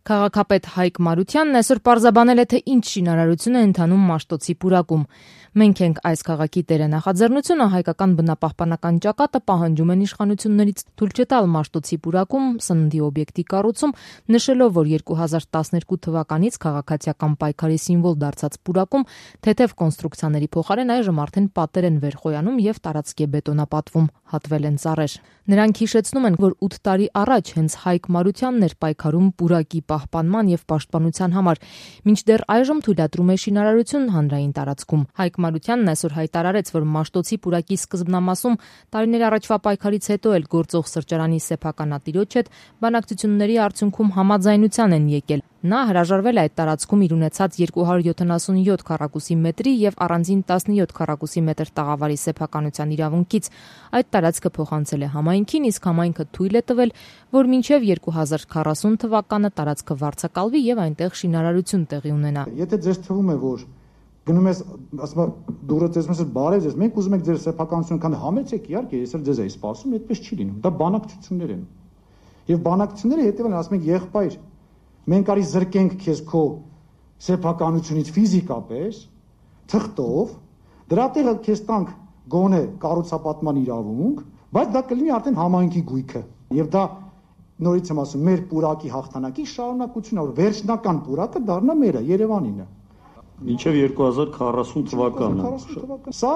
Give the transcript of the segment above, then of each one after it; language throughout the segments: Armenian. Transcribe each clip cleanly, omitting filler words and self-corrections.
Քաղաքապետ Հայկ Մարությանն այսօր պարզաբանել է, թե ինչ շինարարություն է ընթանում Մաշտոցի պուրակում։ Մենք ենք այս քաղաքի տերը նախաձեռնությունը, հայկական բնապահպանական ճակատը պահանջում են իշխանություններից թույլ չտալ Մաշտոցի պուրակում սննդի օբյեկտի կառուցում, նշելով, որ 2012 թվականից քաղաքացիական պայքարի սիմվոլ դարձած պուրակում թեթև կոնստրուկցիաների փոխարեն այժմ արդեն պատեր են վերխոյանում եւ տարածքի բետոնապատվում, հատվել են ծառեր։ Նրանք հիշեցնում են, որ 8 տարի առաջ հենց Հայկ Մարությանն էր պայքարում պուրակի պահպանման եւ պաշտպանության համար, մինչդեռ այժմ թույլատրում է շինարարություն հանրային տարածքում։ Հայկ Մարությանն այսօր հայտարարեց, որ Մաշտոցի պուրակի սկզբնամասում տարիներ առաջվա պայքարից հետո էլ գործող սրճարանի սեփականատիրոջ հետ բանակցությունների արդյունքում համաձայնության են եկել։ Նա հրաժարվել է այդ տարածքում իր ունեցած 277 քառակուսի մետրի եւ առանձին 17 քառակուսի մետր տաղավարի սեփականության իրավունքից։ Այդ տարածքը փոխանցել է համայնքին, իսկ համայնքը թույլ է տվել, որ մինչև 2040 թվականը տարածքը վարձակալվի եւ այնտեղ շինարարություն տեղի ունենա։ Եթե ձեզ թվում է, որ գնում ես, ասում դուրը տեսնում ես բարև ես, մենք ուզում ենք ձեր սեփականությունը քան համեցեք, իհարկե, ես էլ ձեզ էի սպասում, այդպես չի լինում։ Դա բանակցություններ են։ Եվ բանակցությունները հետեւել են, ասում ենք եղբայր, մենք արի զրկենք քեզ քո սեփականությունից ֆիզիկապես, թղթով, դրա տեղը քեզ տանք գոնե կառուցապատման իրավունք, բայց դա կլինի արդեն համայնքի գույքը։ Եվ դա նորից եմ ասում, մեր պուրակի հաղթանակի շարունակությունն է, որ վերջնական պուրակը դառնա մերը, Երևանինը։ Մինչև 2040 թվականը։ Սա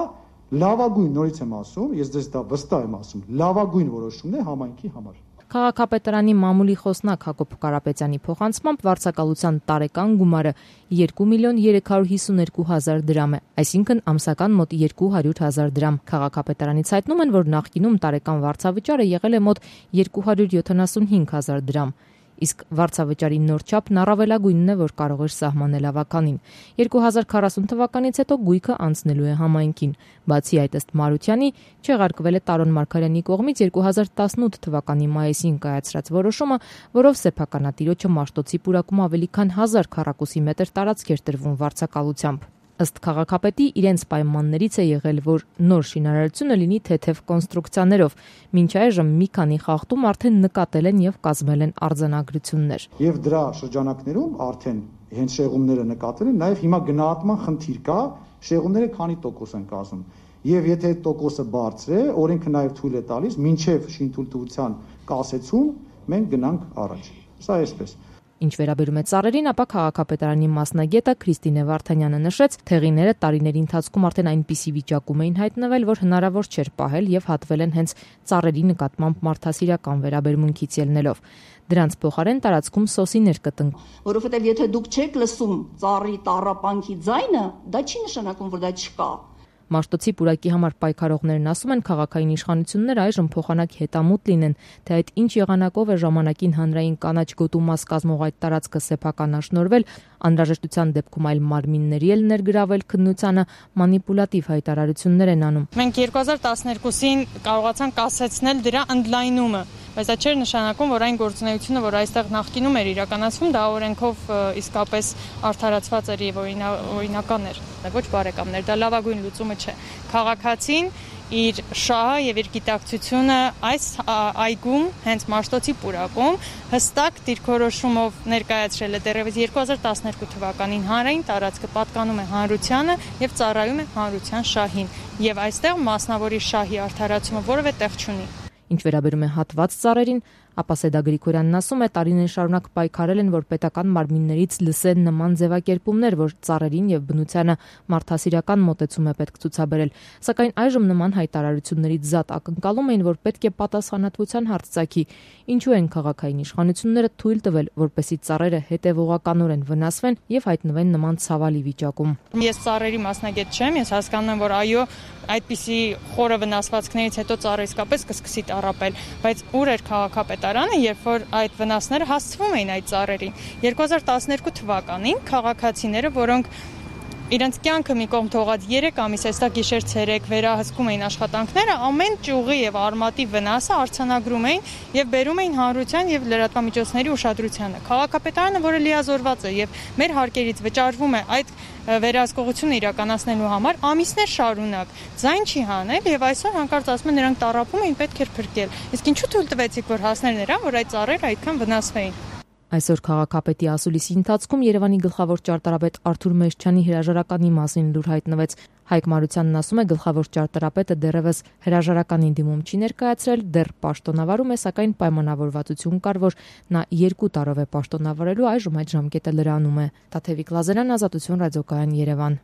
լավագույն, նորից եմ ասում, ես ձեզ դա վստահ եմ ասում, լավագույն որոշումն է համայնքի համար։ Քաղաքապետարանի մամուլի խոսնակ Հակոբ Կարապետյանի փոխանցմամբ վարձակալության տարեկան գումարը 2.352.000 դրամ է, այսինքն ամսական մոտ 200.000 դրամ։ Քաղաքապետարանից հայտնում են, որ նախկինում տարեկան վարձավճարը եղել է մոտ 275.000 դրամ։ Իսկ վարձավճարի նոր չափն առավելագույնն է, որ կարող էր սահմանել ավականին։ 2040 թվականից հետո գույքը անցնելու է համայնքին։ Բացի այդ, ըստ Մարությանի, չեղարկվել է Տարոն Մարգարյանի կողմից 2018 թվականի մայիսին կայացրած որոշումը, որով սեփականատիրոջը Մաշտոցի պուրակում ավելի քան 1000 քառակուսի մետր տարածք էր տրվում վարձակալությամբ։ Ըստ քաղաքապետի, իրենց պայմաններից է եղել, որ նոր շինարարությունը լինի թեթև կոնստրուկցիաներով։ Մինչ այժմ մի քանի խախտում արդեն նկատել են եւ կազմել են արձանագրություններ։ Եվ դրա շրջանակներում արդեն հենց շեղումները նկատել են, նաեւ հիմա գնահատման խնդիր կա, շեղումները քանի տոկոս են կազմում։ Եվ եթե այդ տոկոսը բարձր է, օրենքը նաեւ թույլ է տալիս, մինչեւ շինթույլտվության կասեցում մենք գնանք առաջ։ Սա այսպես։ Ինչ վերաբերում է ծառերին, ապա քաղաքապետարանի մասնագետը Քրիստինե Վարդանյանը նշեց, թեղիները տարիների ընթացքում արդեն այնպիսի վիճակում էին հայտնվել, որ հնարավոր չէր պահել եւ հատվել են հենց ծառերի նկատմամբ մարդասիրական վերաբերմունքից ելնելով։ Դրանց փոխարեն տարածքում սոսիներ կտնկ։ Որովհետեւ եթե դուք չեք լսում ծառի տառապանքի ձայնը, դա չի նշանակում, որ դա չկա։ Մաշտոցի պուրակի համար պայքարողներն ասում են, քաղաքային իշխանությունները այժմ փոխանակ հետամուտ լինեն, թե այդ ինչ եղանակով է ժամանակին հանրային կանաչ գոտու մաս կազմող այդ տարածքը սեփականաշնորհվել, անհրաժեշտության դեպքում այլ մարմինների էլ ներգրավել քննությանը, մանիպուլատիվ հայտարարություններ են անում։ Մենք 2012-ին կարողացանք կասեցնել դրա ընդլայնումը, բայց դա չէր նշանակում, որ այն գործունեությունը, որ այստեղ նախկինում էր իրականացվում, դա օրենքով իսկապես արդարացված էր եւ օրինական էր։ Ոչ բարեկամներ, դա լավագույն լուծումը չէ։ Քաղաքացին իր շահը եւ իր գիտակցությունը այս այգում, հենց Մաշտոցի պուրակում, հստակ դիրքորոշումով ներկայացրել է դեռևս 2012 թվականին հանրային տարածքը պատկանում է հանրությանը եւ ծառայում է հանրության շահին եւ այստեղ մասնավորի շահի արդարացումը որևէ տեղ չունի։ Ինչ վերաբերում է հատված ծառերին, ապա Սեդա Գրիգորյանն ասում է, տարիներ շարունակ պայքարել են, որ պետական մարմիններից լսեն նման ձևակերպումներ, որ ծառերին եւ բնությանը մարդասիրական մոտեցում է պետք ցուցաբերել, սակայն այժմ նման հայտարարություններից զատ ակնկալում էին, որ պետք է պատասխանատվության հարց ծագի, ինչու են քաղաքային իշխանությունները թույլ տվել, որպեսզի ծառերը հետևողականորեն վնասվեն եւ հայտնվեն նման ցավալի վիճակում։ Ես ծառերի մասնագետ չեմ, ես հասկանում եմ, որ այո, այդպիսի խորը վնասվածքներից հետո ծառը իսկապես կսկսի տառապել, բայց ուր էր քաղաքապետարանը, երբ որ այդ վնասները հասցվում էին այդ ծառերին։ 2012 թվականին քաղաքացիները, որոնք իրենց կյանքը մի կողմ թողած 3 ամիս էստա գիշեր-ցերեկ վերահսկում էին աշխատանքները, ամեն ճյուղի եւ արմատի վնասը արձանագրում էին եւ բերում էին հանրության եւ լրատվամիջոցների ուշադրությանը։ Քաղաքապետարանը, որը լիազորված է եւ մեր հարկերից վճարվում է այդ վերահսկողությունը իրականացնելու համար, ամիսներ շարունակ ձայն չի հանել եւ այսօր հանկարծ ասում են նրանք տառապում էին, պետք էր փրկել։ Իսկ ինչու թույլ տվեցիք, որ հասներ նրան, որ այդ ծառերը այդքան վնասվեին։ Այսօր քաղաքապետի ասուլիսի ընթացքում Երևանի գլխավոր ճարտարապետ Արթուր Մեշչյանի հրաժարականի մասին լուր հայտնվեց։ Հայկ Մարությանն ասում է, գլխավոր ճարտարապետը դեռևս հրաժարականին դիմում չի ներկայացրել, դեռ պաշտոնավարում է, սակայն պայմանավորվածություն կար, որ նա 2 տարով է պաշտոնավարելու, այժմ այդ ժամկետը լրանում է։ Տաթևիկ Լազարյան, Ազատություն, ռադիոկայան, Երևան։